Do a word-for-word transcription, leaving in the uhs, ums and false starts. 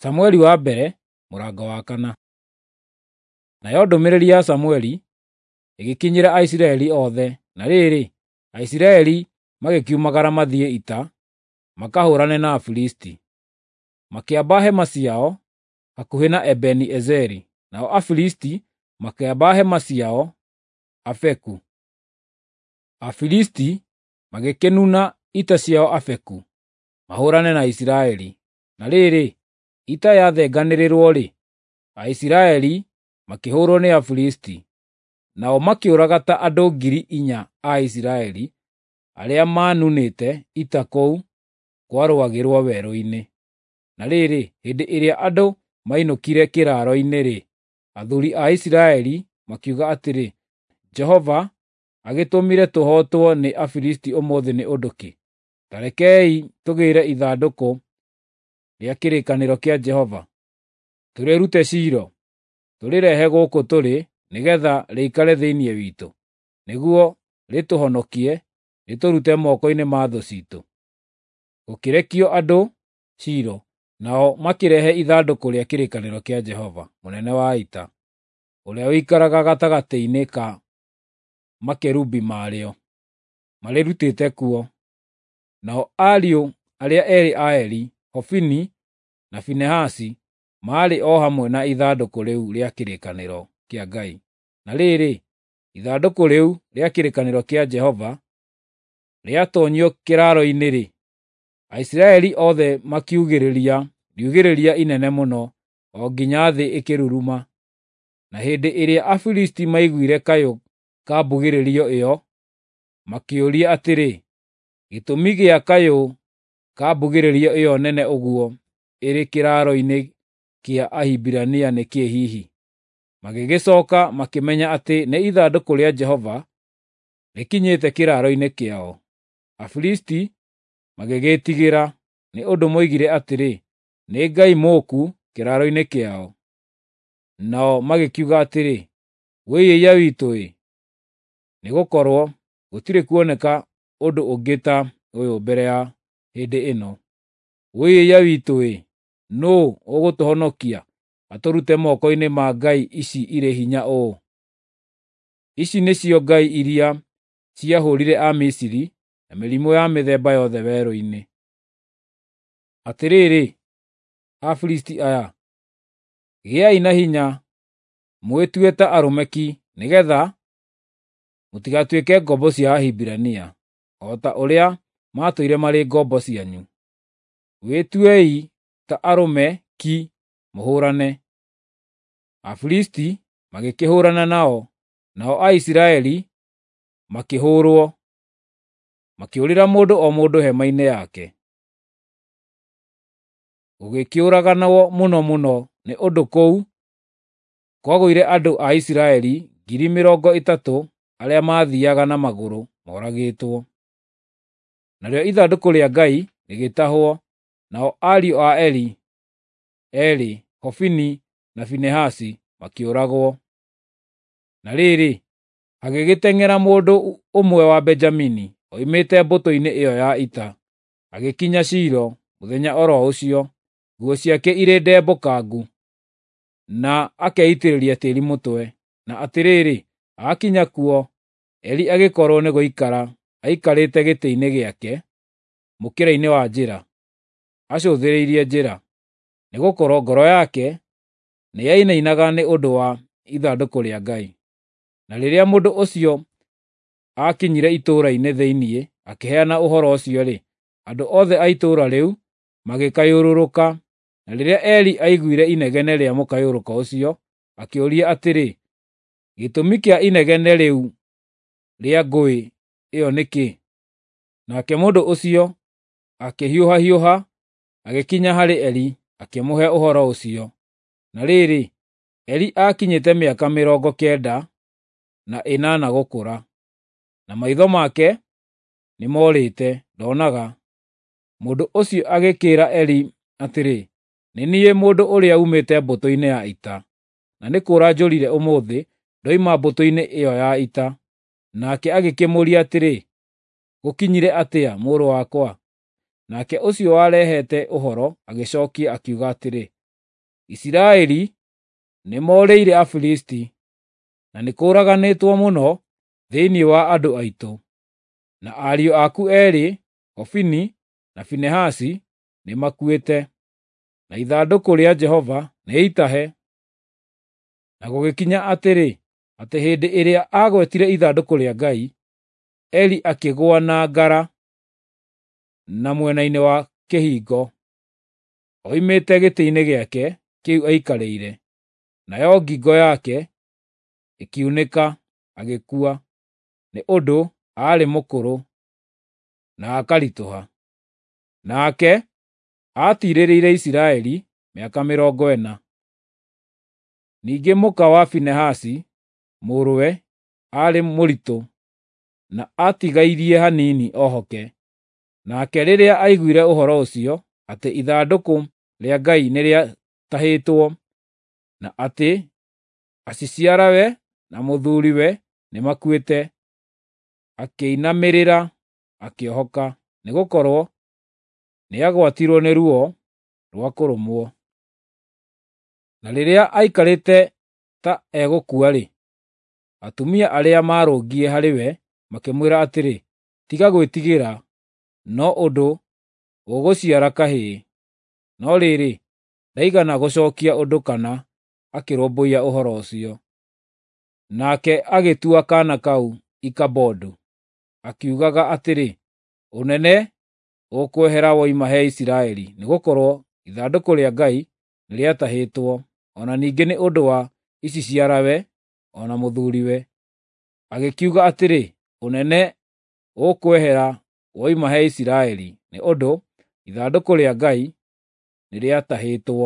Samueli wa mbere mũrango wa kana. Nayo ndũmĩrĩri ya Samueli ĩgĩkinyĩra Aisiraeli othe, na rĩrĩ, Aisiraeli magĩkiumagara mathiĩ ita makahũũrane na Afilisti. Makĩamba hema ciao hakuhĩ na Ebeni-Ezeri, nao Afilisti makĩamba hema ciao Afeku. Afilisti magĩkĩnuna ita ciao Afeku mahũũrane na Isiraeli. Na rĩrĩ, ita yathenganĩrĩrwo-rĩ, Aisiraeli makĩhũũrwo nĩ Afilisti, nao makĩũraga ta andũ ngiri inya a Isiraeli arĩa maanunĩte ita kũu kwarũagĩrwo werũ-inĩ. Na rĩrĩ, hĩndĩ ĩrĩa andũ mainũkire kĩraaro-inĩ-rĩ, athuuri a Isiraeli makiuga atĩrĩ, “Jehova agĩtũmire tũhootwo nĩ Afilisti ũmũthĩ nĩ ũndũ kĩ? Ta rekei tũgĩĩre ithandũkũ rĩa kĩrĩkanĩro kĩa Jehova, tũrĩrute Shilo, tũrĩrehe gũkũ tũrĩ nĩgeetha rĩikare thĩinĩ witũ, nĩguo rĩtũhonokie rĩtũrute moko-inĩ ma thũ ciitũ.” Gũkĩrekio andũ Shilo, nao makĩrehe ithandũkũ rĩa kĩrĩkanĩro kĩa Jehova mũnene wa ita, ũrĩa ũikaraga gatagatĩ-inĩ ka makerubi marĩo, marĩrutĩte kuo. Nao ariũ arĩa eerĩ a Eli, Hofini na Finehasi, maarĩ o hamwe na ithandũkũ rĩu rĩa kĩrĩkanĩro kĩa Ngai. Na rĩrĩ, ithandũkũ rĩu rĩa kĩrĩkanĩro kĩa Jehova rĩatoonyio kĩraaro-inĩ-rĩ, Aisiraeli othe makiugĩrĩria riugĩrĩria inene mũno o nginya thĩ ĩkĩruruma. Na hĩndĩ ĩrĩa Afilisti maiguire kayũ ka mbugĩrĩrio ĩyo, makĩũria atĩrĩ, “Gĩtũmi gĩa kayũ ka mbugĩrĩrio ĩyo nene ũguo ĩrĩ kĩraaro-inĩ kĩa Ahibirania nĩ kĩĩ hihi?” Magĩgĩcooka makĩmenya atĩ nĩ ithandũkũ rĩa Jehova rĩkinyĩte kĩraaro-inĩ kĩao. Afilisti magĩgĩĩtigĩra, nĩ ũndũ moigire atĩrĩ, “Nĩ Ngai mũũku kĩraaro-inĩ kĩao.” Nao magĩkiuga atĩrĩ, “Wũi-ĩiya witũ-ĩ! Nĩgũkorwo gũtirĩ kuoneka ũndũ ũngĩ ta ũyũ mbere ya hĩndĩ ĩno. Wũi-ĩiya witũ-ĩ! Nũũ ũgũtũhonokia atũrute moko-inĩ ma ngai ici irĩ hinya ũũ? Ici nĩcio ngai iria ciahũũrire Amisiri na mĩrimũ ya mĩthemba yothe werũ-inĩ. Atĩrĩrĩ, Afilisti aya, gĩai na hinya, mwĩtue ta arũme ki, nĩgeetha mũtigatuĩke ngombo cia Ahibirania, o ta ũrĩa maatũire marĩ ngombo cianyu. Wĩtuei ta arũme ki mũhũũrane.” Afilisti magĩkĩhũũrana nao, nao Aisiraeli makĩhũũrwo, makĩũrĩra mũndũ o mũndũ hema-inĩ yake. Gũgĩkĩũraganwo mũno mũno nĩ ũndũ kũu kwagũire andũ a Isiraeli ngiri mĩrongo ĩtatũ arĩa maathiiaga na magũrũ moragĩtwo. Narĩo ithandũkũ rĩa Ngai rĩgĩtahwo, nao ariũ a Eli eerĩ, Hofini na Finehasi, makĩũragwo. Na rĩrĩ, hagĩgĩteng'era mũndũ ũmwe wa Benjamini oimĩte mbũtũ-inĩ ĩyo ya ita, agĩkinya Shilo mũthenya o ro ũcio, nguo ciake irĩ ndembũkangu, na akeitĩrĩria tĩĩri mũtwe. Na atĩrĩrĩ, aakinya kuo, Eli agĩkorwo nĩ gũikara aikarĩte gĩtĩ-inĩ gĩake mũkĩra-inĩ wa njĩra, acũthĩrĩirie njĩra, nĩgũkorwo ngoro yake nĩyainainaga nĩ ũndũ wa ithandũkũ rĩa Ngai. Na rĩrĩa mũndũ ũcio aakinyire itũũra-inĩ thĩinĩ akĩheana ũhoro ũcio-rĩ, andũ othe a itũũra rĩu magĩkayũrũrũka. Na rĩrĩa Eli aiguire inegene rĩa mũkayũrũko ũcio, akĩũria atĩrĩ, “Gĩtũmi kĩa inegene rĩu rĩa ngũĩ ĩyo nĩ kĩĩ?” Nake mũndũ ũcio akĩhiũhahiũha agĩkinya harĩ Eli akĩmũhe ũhoro ũcio. Na rĩrĩ, Eli aakinyĩte mĩaka mĩrongo kenda na ĩnana gũkũra, na maitho make nĩmorĩte, ndoonaga. Mũndũ ũcio agĩkĩĩra Eli atĩrĩ, “Nĩ niĩ mũndũ ũrĩa uumĩte mbũtũ-inĩ ya ita, na nĩ kũũra njũrire ũmũthĩ ndoima mbũtũ-inĩ ĩyo ya ita.” Nake agĩkĩmũũria atĩrĩ, “Gũkinyire atĩa, mũrũ wakwa?” Nake ũcio warehete ũhoro agĩcookia akiuga atĩrĩ, Isiraeli nĩmoorĩire Afilisti, na nĩkũũraganĩtwo mũno thĩinĩ wa andũ aitũ. Na ariũ aku eerĩ, Hofini na Finehasi, nĩmakuĩte, na ithandũkũ rĩa Jehova nĩ itahe." Na gũgĩkinya atĩrĩ, atĩ hĩndĩ ĩrĩa aagwetire ithandũkũ rĩa Ngai, Eli akĩgũa na ngara na mwena-inĩ wa kĩhingo, oimĩte gĩtĩ-inĩ gĩake kĩu aikarĩire, nayo ngingo yake ĩkiunĩka agĩkua, nĩ ũndũ aarĩ mũkũrũ na akaritũha. Nake aatiirĩrĩire Isiraeli mĩaka mĩrongo ĩna. Ningĩ mũka wa Finehasi mũrũwe aarĩ mũritũ na aatigairie hanini ohoke. Nake rĩrĩa aiguire ũhoro ũcio, atĩ ithandũkũ rĩa Ngai nĩrĩatahĩtwo, na atĩ aciciarawe na mũthuuriwe nĩmakuĩte, akĩinamĩrĩra akĩohoka, nĩgũkorwo nĩagwatirwo nĩ ruo rwa kũrũmwo. Na rĩrĩa aikarĩte ta egũkua-rĩ, atumia arĩa maarũngiĩ harĩ we makĩmwĩra atĩrĩ, “Tiga gwĩtigĩra, no ũndũ ũgũciara kahĩĩ.” No rĩrĩ, ndaigana gũcookia ũndũ kana akĩrũmbũiya ũhoro ũcio. Nake agĩtua kaana kau Ikabodu, akiugaga atĩrĩ, “Ũnene ũkwehera woima he Isiraeli,” nĩgũkorwo ithandũkũ rĩa Ngai nĩrĩatahĩtwo, o na ningĩ nĩ ũndũ wa iciciarawe o na mũthuuriwe. Agĩkiuga atĩrĩ, “Ũnene ũkwehera woima he Isiraeli,” nĩ ũndũ ithandũkũ rĩa Ngai nĩrĩatahĩtwo.